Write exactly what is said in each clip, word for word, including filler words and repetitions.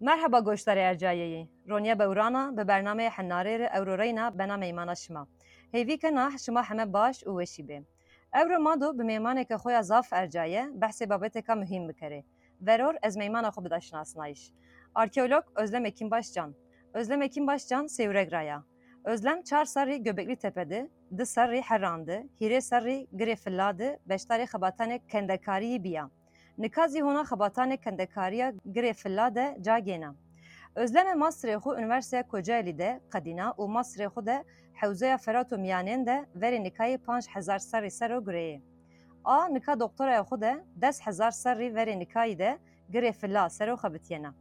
Merheba goşdarê ercayeyî. Roniya Bewrana bi bernameyê Henarê re ewro reyna bena meymana şima. Hêvî kena şima heme baş û weşî bê. Ewro Mado bi mêmaneke xwe ya zaf ercaye behsê babeteka muhîm bikerê. Veror ez meymana xwe bida şinasnayîş. Arkeolog Özlem Ekînbaş Can. Özlem Ekînbaş Can Sêwreg ra ya. Özlem çar serrî Göbekli Tepe di, di serrî Heran di, hîrê serrî Girê Filla di beşdarê xebatanê kendekariyî biya. Nika zî hona xebatanê kendekariya Girê Filla de ca gêna. Özleme masterê xwe Unîversîteya Kocaelî de qedîna û masterê xwe de Hewzeya Ferat û Miyanên de verê nikayê panc hezar serrî ser o girêyê. A nika doktoraya xwe de des hezar serrî verê nikayî de Girê Filla ser o xebitiyena.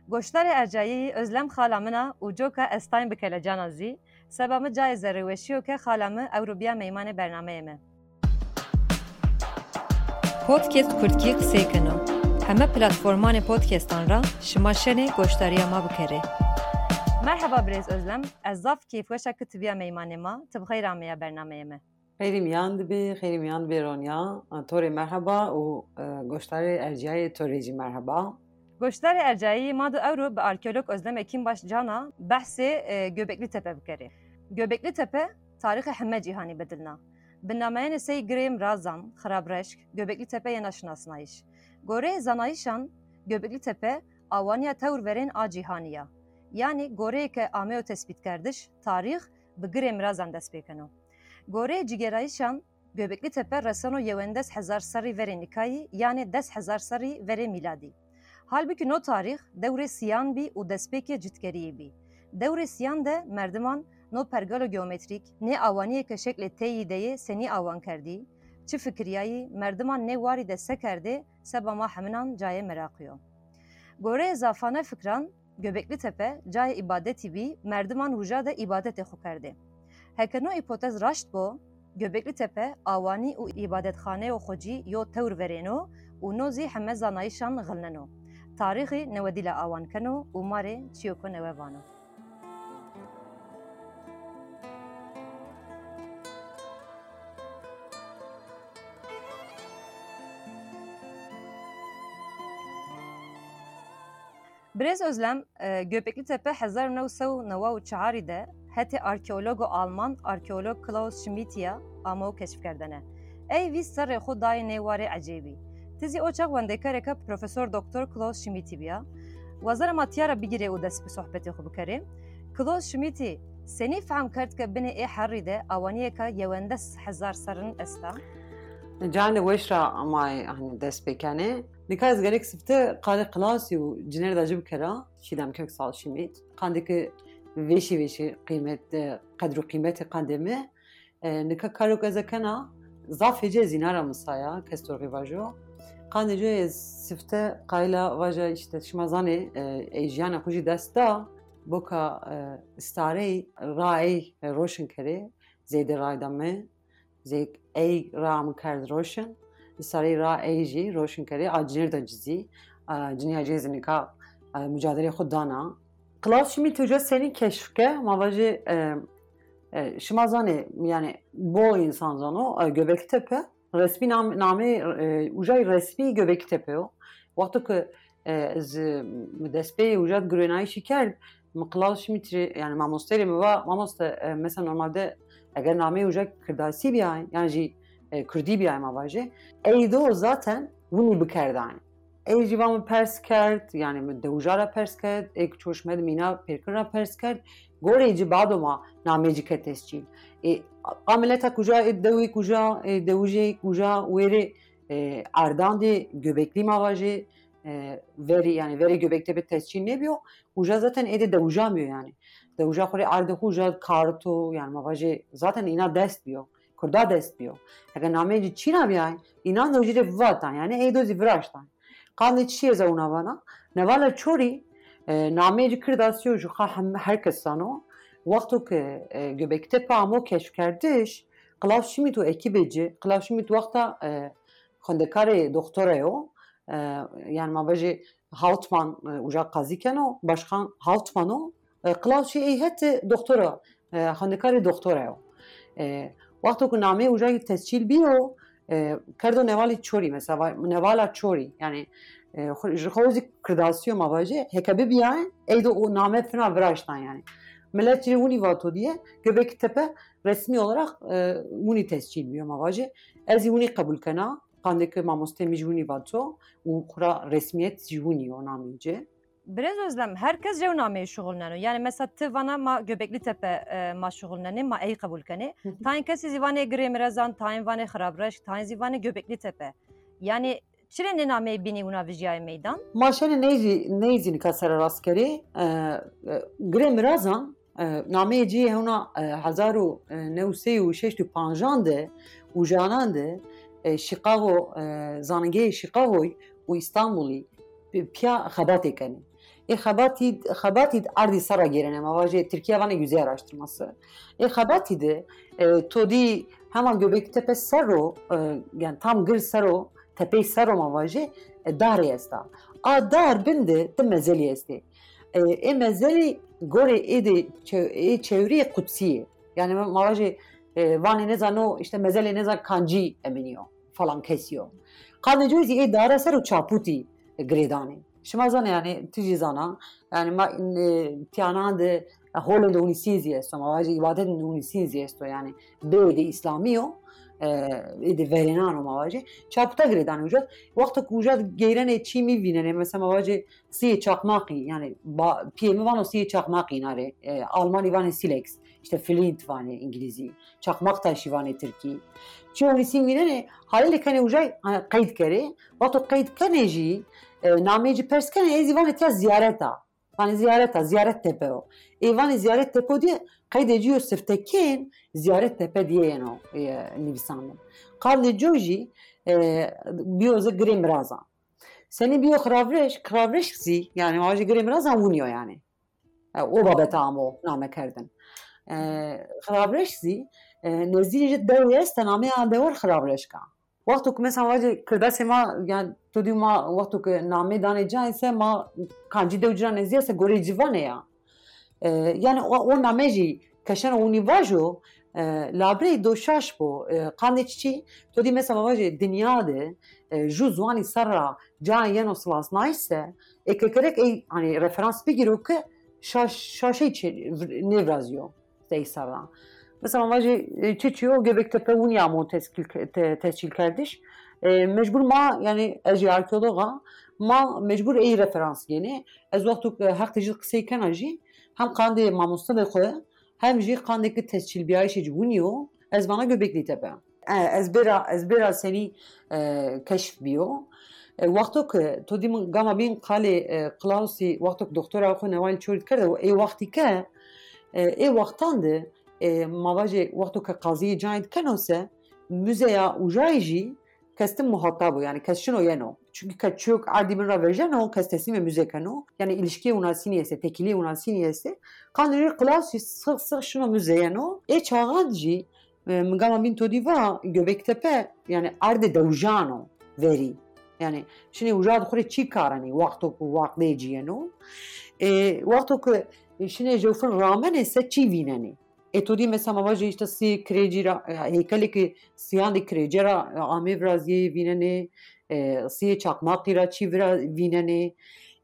Goşdarê ercayî Özlem xala min a û coka ez tayn bi kelecana zî, seba min cayê zerrîweşî yo ke xala min ewro biya meymanê bernameyê me. Podcast Kurdkî qisey keno. Heme platformanê podcastan ra şima şenê goşdariya ma bikerê. Merheba birêz Özlem, ez zaf kêfweşa ki tu biya meymanê ma, tu bi xeyr ameya bernameyê me. Xeyrî miyan dibe, xeyrî miyan dibe Ronya. To rê merheba û, e, goşdarê erciyayê to rê jî merheba. Goşdarê ercayî ma do ewro bi arkeolog Özlem Ekînbaş Cana behsê, e, Göbekli Tepe bikerê. Göbekli Tepe tarîxê heme cîhanî bedilna. Bi nameyene sey Girê Mirazan, Xirabreşk, Göbekli Tepe yena şinasnayîş. Goreyê zanayîşan, Göbekli Tepe awaniya tewr verên a cîhanî ya. Yanî goreyê ke ameyo tespîtkerdiş, tarîx bi Girê Mirazan dest pê keno. Goreyê cîgerayîşan, Göbekli Tepe reseno yewendes hezar serrî verê nikayî, yanê des hezar serrî verê mîladî. Halbikî no tarîx dewrê siyan bî û destpêkê citkeriyê bî. Dewrê siyan de merdiman no pergalo geometrîk, nê awaniyê ke şeklê teyî de yê senî awan kerdî, çi fikiriyayî, merdiman nê warî de se kerdê, seba ma heminan cayê meraqî yo. Goreyê zafane fikran, Göbekli Tepe cayê îbadetî bî, merdiman wija de îbadetê xwe kerdê. Heke no îpotez raşt bo, Göbekli Tepe awanî û îbadetxaneyo xwecî yo tewr verêno û no zî heme zanayîşan xilneno. Tarîxî newedî le awan keno û ma rê çiyoko newe vano. Birêz Özlem, e, Göbekli Tepe hezar û neh sed û newid û çarî de hetê arkeologo Alman, arkeolog Klaus Schmidtiya amo keşfkerdene. Ey vîst serrê xwe dayê nê warê ecêbî. Ti zî o çax wendekareka Profesor Doktor Klaus Schmidtî biya. Wazara ma tiya ra bigirê û dest bi sohbetê xwe bikerê. Klaus Schmidtî senî fehm kerd ke binê ê herrî de awaniyeka yewendes hezar serrin esta? Canê weş ra ma ê, hani, dest pê kenê. Nika ez gelek sifte qandê Klausî û cinêr de ci bikera, Çiğdem Köksal Şimit. Qandê ki vêşî vêşî qîmet, e, qedr û qîmetê qandê mi. E, nika karo ke ez kena, zaf hêcê zîna ra misaya, kes torxî vajo. Qandê co ez sifte qayla vaja, işte, şima zanê, e, ey jiyana xwe jî dest da, boka, e, starey ra ey, e, roşin kerê, zêde rayda mi, zêk ey ra mi kerd roşin, starey ra ey jî roşin kerê, a cinêr de cizî, a ciniya cê zinika, e, mücadele xwe dana. Klaus Schmidt uca senî keşf ke, ma vajê, e, e, şima zanê, yani, bol insan zano, e, Göbekli Tepe, resmî nam-, namê, e, uca resmî Göbekli Tepe yo. Wexto ku, e, ez, e, mi destpêyê uca girênayîşî kerd, mi Klaus Schmidt rê, yani, mamosteyê rê mi va, mamoste, e, mesela normalde eger namê uca kirdasî biyay, yani jî, e, kurdî biyay ma vajê, ey do zaten winî bikerdayê. Ey jî va min pers kerd, yani min dewija ra pers kerd, ê ku çoş me di mîna pêrkin ra pers kerd. Gorê ci bado ma namê ci ke tescîl. Ê, a mileta kuja, ê dewî kuja, ê dewije kuja, wêrê, e, erdandê Göbekli ma vajê, e, verî, yani verê Göbektepe tescîl nêbiyo. Uja zaten êdî dewija miyo yani. Dewija xwe rê erdê xwe uja karto, yani ma vajê zaten îna dest biyo. Kurda dest biyo. Eger namê ci çîna biyay, înan dewjî rê vivatan, yani ê do zî viraştan. Qandê çi ez ewna vana? Nevala Çorî, e, nameyê ci kirdasiyo, ji xwe hem her kes zano. Wexto ke, e, Göbektepe amo keşfkerdiş, Klaus Schmidt û ekîbê ci, Klaus Schmidt wexta, e, xwendekarê doktora yo, e, yani ma vajê Hauptmann, e, uca qazî keno, başkan Hauptmann o, e, Klaus jî ey hete doktora, e, xwendekarê doktora yo. E, wexto ku nameyê uca tescîl biyo, e, kerdo nevalî Çorî, mesela, va-, nevala Çorî, yani, E, xwe- ji xwe zî Kirdasî yo ma vajê, heke bibiyayê, ey de o name fina viraştan yani. Millet jî winî vato diye, Göbekli Tepe resmî olarak e, winî tescîl biyo ma vajê. Ez zî winî qebûl kena, qandê ki mamostê min jî winî vato û xura resmiyet jî winî yo namê ci. Birêz Özlem, her kes jew nameyê şixulneno. Yani mesela ti vana ma Göbekli Tepe e, ma şixulnenê, ma ey qebûl kenê. Tayên kesî zî vanê Girê Mirezan, tayên vanê Xirabreşk, tayên zî vanê Göbekli Tepe. Yani çirê nê nameyê bînî wina vijiyayê meydan? Ma şenê neyzî, neyzî nika sererast kerê. E, e, Girê Mirazan, e, nameyê cî hewna e, hezar û newsey û şeşt û pancan de û janan de e, Chicago, e, zanîngehê Chicagoy û Îstanbulî pi- piya xebatê kenê. Ê xebatî, xebatî erdî serra gêrene, ma vajê Tirkiye vanê yüzey araştırması. Ê xebatî de e, to dî hema Göbekli Tepe sero, e, yani tam gir sero, tepey sero ma vajê, e, darê esta. A dar bin de ti mezelî estê. E, ê mezelî gorê ê de çew- ê çewriyê qudsî ye. Yani ma vajê e, vanê nezano, işte mezelê nezan kancî eminî yo, falan kesî yo. Qandê coy zî ê dara ser û çapûtî girêdanê. Şima zanê yani, tu jî zana, yani ma e, tiyanan de holên de hûnîsîn zî esto, ma vajê îbadetên hûnîsîn zî esto yani. Bê de îslamî yo, e, ê de verênan o ma vajê. Çapûta girêdanê uca. Wexto ku uca geyrenê çî mî vînenê, mesela ma vajê siyê çakmakî, yani ba- piyê min vano siyê çakmakî nare. E, Almanî vanê silex, işte flint vanê îngilîzî. Çakmak taşî vanê tirkî. Çi hûnîsîn vînenê, halê lê kenê uca, e, qeyd kerê. Wexto qeyd kenê jî, e, nameyê ci pers kenê, ê zî vanê tiya ziyareta. Vanê ziyareta, ziyaret tepe o. Ê vanê ziyaret tepe o diye qeydê ci yo siftekên ziyaret tepe diye yeno e, nivîsandin. Qandê co jî e, biyo ze Girê Mirazan. Senî biyo Xiravrêşk, Xiravrêşk zî, yani ma ji Girê Mirazan winî yo yani. E, o babeta amo name kerdin. E, Xiravrêşk zî e, nezdî ji dewê esta, namê an dewar Xiravrêşk a. Wexto ku mesela vajê Kirdasê ma, yani to dî ma wexto ku namê danê cayê se ma kancî dew cira nezdî ese gorê civanê ya. E, yani o, o name jî keşeno winî vajo, e, labirê do şaş bo. E, qandê çiçî, to dî mesela vajê dinya de e, ju ziwanî serra cayê yeno silasnayîş se, ê kekerek ey hani referans bigîro ke şaş, şaşey çê nêvrazîyo. Sey serra. Mesela vajê e, çiçî yo Göbektepe winî amo teskîl ke- te- tescîl kerdiş. E, mecbur ma, yani ez jî arkeolog a, ma mecbur ey referans gênê. Ez wexto ke heq tê jî qisey kena jî, hem qandê mamoste de xwe, hem jî qandê ki tescîlbiyayîşê ci winî yo, ez vana Göbekli Tepe. E, ez bêra, ez bêra senî e, keşf bîyo. E, wexto ki to dî min gama bîn qalê e, Klausî, wexto ki doktora xwe Neval Çorî dikerde, ê wextî ke, e, ê wextan de, e, ma vajê wexto ke qaziyê cayê dikeno se, muzeya ujayê jî kes tim muhatab o, yani kes şino yeno. Çünkü ke çiyok erdî bin ra vejeno, kes teslîmê müze keno. Yani ilişkiyê winasînî ese, tekîliyê winasînî ese. Qandê jî Klausî six six şino müze yeno. Ê çaxan jî e, min gama bîn to dî va Göbektepe, yani erdê dewijan o verî. Yani şinê uja di xwe rê çî karenê, wexto ku waqdê cî yeno. E, wexto ku şinê jewfin ramenê se çî vînenê. Ê to dî mesela ma vajê işte siyê kirêcî ra, e, heykelê ki siyan de kirêce ra, e, amê viraziyê vînenê, e, siyê çakmaqî ra çî vira vînenê.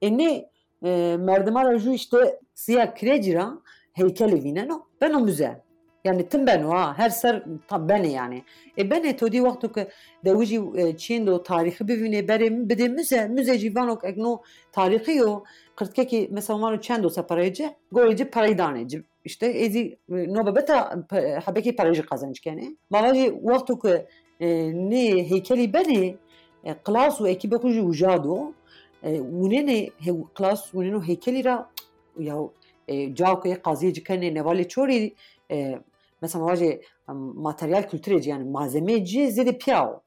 Ê nê, e, merdima ra jû işte siya kirêcî ra heykelê vîneno, beno müze. Yani tim beno ha, her ser ta benê yani. E benê to dî wexto ke dewijî e, çiyên do tarîxî bivînê berê bidê müze, müze jî vano ek no tarîxî yo, qirtkekî mesela vano çend o se pereyê ci, gorê ci perey danê ci. İşte êzî e, no bebeta pe- hebekê perê jî qezenc kenê. Ma vajê wexto ke e, nê heykelî benê, e, Klaus û ekîbê xwe jî uja do, e, winênê he- Klaus winêno heykelî ra ya e, ca ku ê qaziyê ci kenê Nevalê Çorî, e, mesela ma vajê em, materyal kulturê ci yani malzemeyê ci zêdê piya o.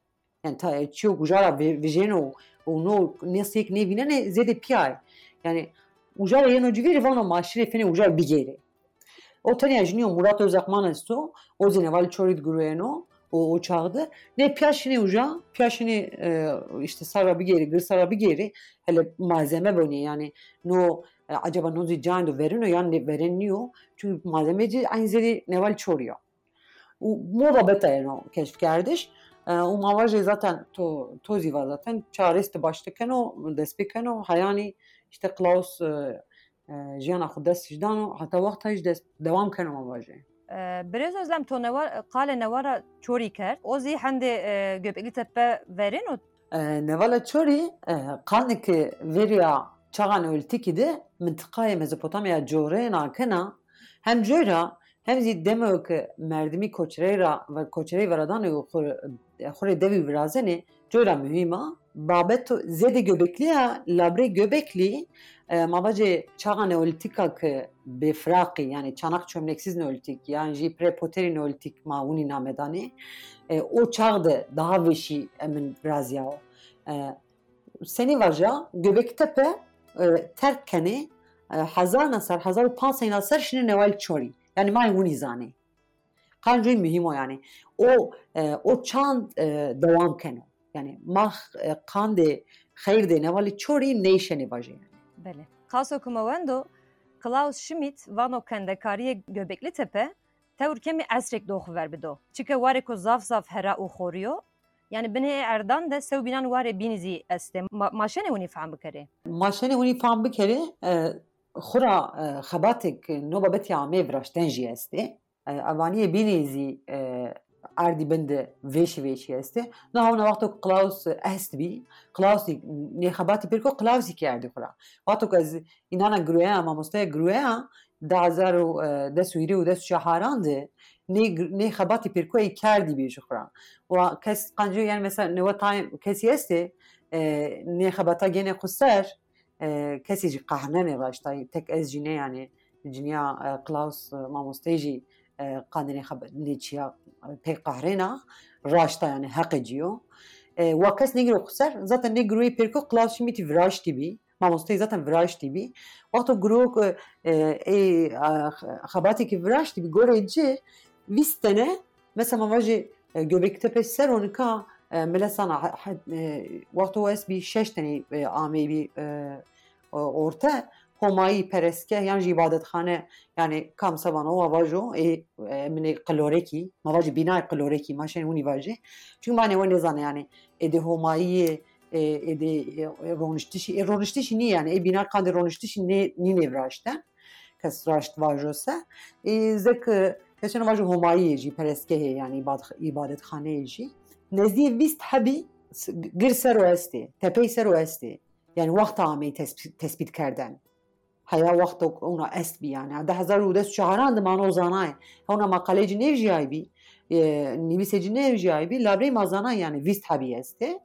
Yani ta, çiyo ku jara vi- vijêno û no nêsiyek nêvînenê zêdê piya ye. Yani ujara yeno civîrê vano ma şirê fênê ujar bigêrê. O tenya jiniyo Murat Özakman esto, o zî Neval Çorî diguruyeno, o, o çaxde. Nê piya şinê uja, piya şinê e, işte sara bigêrê, gir sara bigêrê, hele malzeme bonê yani no e, acaba no zî cayên do verino yan nê veren niyo. Çünkü malzeme ci aynı zêdê Neval Çorî ya. Û mo babeta yeno keşfkerdiş. E, û ma va jî zaten to, to zî va zaten çarês tu baş dikeno, dest pê keno, heyanî işte Klaus, e, e, jiyana xwe dest ji dano, heta wexta jî dest dewam keno ma va jî. E, Birêz Özlem, to newa-, qalê newara Çorî kerd. O zî hendê, e, Göbekli Tepe verêno? E, Nevala Çorî, e, qandê ki vêriya çaxa Neolîtîkî de mintiqayê Mezopotamya corê nakena, hem coy ra, hem zî demo ki merdimî koçerey ra ve koçerey veradanê û xwe, xwe rê devî virazenê, coy ra muhîm a. Babeto zêdê Göbekliya, labrê Göbekli, e, ma vacê çaxa Neolîtîka ki bêfiraqî, yanî çanak çömleksiz Neolîtîk, yan jî prepoterî Neolîtîk ma winî name danê, e, o çax de daha vêşî em in viraziyawo. E, senî vaja, Göbektepe, e, terk kenê, e, hezarna ser, hezar û panc seyna ser şinê Neval Çorî. Yanî ma winî zanê. Qancoyî muhîm o yanî. O, e, o çand, e, dewam keno. Yanî ma, e, qandê xeyr dê Nevalî Çorî neyşenê vajê yanî. Belê. Qaso ku me wendo, Klaus Schmidt vano kendekariyê Göbekli Tepe tewr kemî esrêk doxuver bido. Çike warê ku zaf zaf hera û xorî yo, yanî binê ê erdan de sewbînan warê bînî zî estê. Ma, ma şenê winî fehm bikerê? Ma şenê winî fehm bikerê, e, xura, e, xebatêk no babetî amê viraşten jî estê. E, evaniyê bînî zî, e, erdî bin de vêşî vêşî estê. Na hewna wexto ku Klaus est bî, Klaus zî nê xebatî pêr ko, Klaus zî kê erdî xura. Wexto ku ez înana giroya, mamosteya giroya, du hezar û, e, des û hîrê û des û çaran de nê gir-, nê xebatî pêr ko ê kerdî bê ji xura. Wa kes qanco, yanî mesela newe tayê kesî estê, e, nê xebata gênê xwe ser, e, kesî jî qehnenê raştayî, tek ez jî ne yanî, ciniya, e, Klaus, e, mamosteyê jî, e, qandinê xebe-, nê çiya, e, pê qehrêna, raşta yanî heqê cî yo. E, wa kes nêgiro xwe ser, zaten nê giroyê pêr ko Klaus Schmidtî viraştî bî, mamosteyê zaten viraştî bî. Wexto giro ku, e, ê, e, xebatêkî viraştî bî, gorê ci vîst tene, mesela ma vajê, e, Göbektepe ser o nika, e, milesana he-, he-, e, wexto wes bî şeş tenî, e, amê bî, e, o-, orte, homayî, perestgeh yan jî îbadetxane, yanî kam sevan o, ma vajo, ê, e, minê qilorekî, ma vajê bînayê qilorekî, ma şên winî vajê. Çunke ma ne we nêzane yanî, êdî homayiyê, e, êdî, e, roniştişî, ê roniştişî nî yanî, ê bîna qandê roniştişî nê, nînê viraşte. Kes raşt vajo se. Ê, zek, e, kesên vajo homayiyê jî, perestgehê, yanî îbad-, îbadetxaneyê jî. Nezdî vîst hebî s-, gir ser o estê, tepey ser o estê. Yanî wexta ameyî tesp-, tespît kerden. Heya wexto ona est bî yanî. Di hezar û des û çaran de mano zanayê. Ona maqaleyê cî nêvjiyayî bî, e, nivîsê cî nêvjiyayî bî, labrê ma zanayê yanî vîst hebî estê.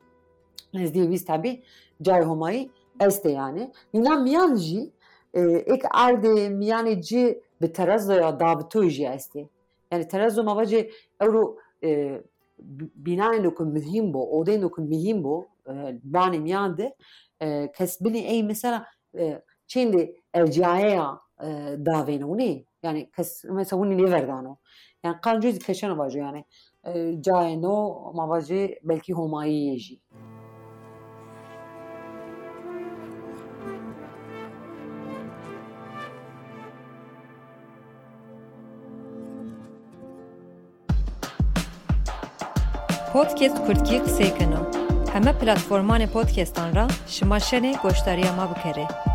Nezdî vîst hebî cayê homayî estê yanî. Nîna miyan jî, e, êk erdê miyanê cî bi terezoya davitoyê jî estê. Yanî terezo ma vacê ewro, e, bi-, bînayên ku muhîm bo, odeyên ku muhîm bo, e, banê miyan de, e, kes binê ey mesela, e, çêndê erciyayeya, e, davêne winê. Yanî kes mesela winî nêverdano. Yanî qanco zî keşeno vajo yanî. E, cayê no, ma vajê belkî homayiyê jî. Podcast Kurdkî qisey keno. Heme platformanê podcastan ra şima şenê goşdariya ma bikerê.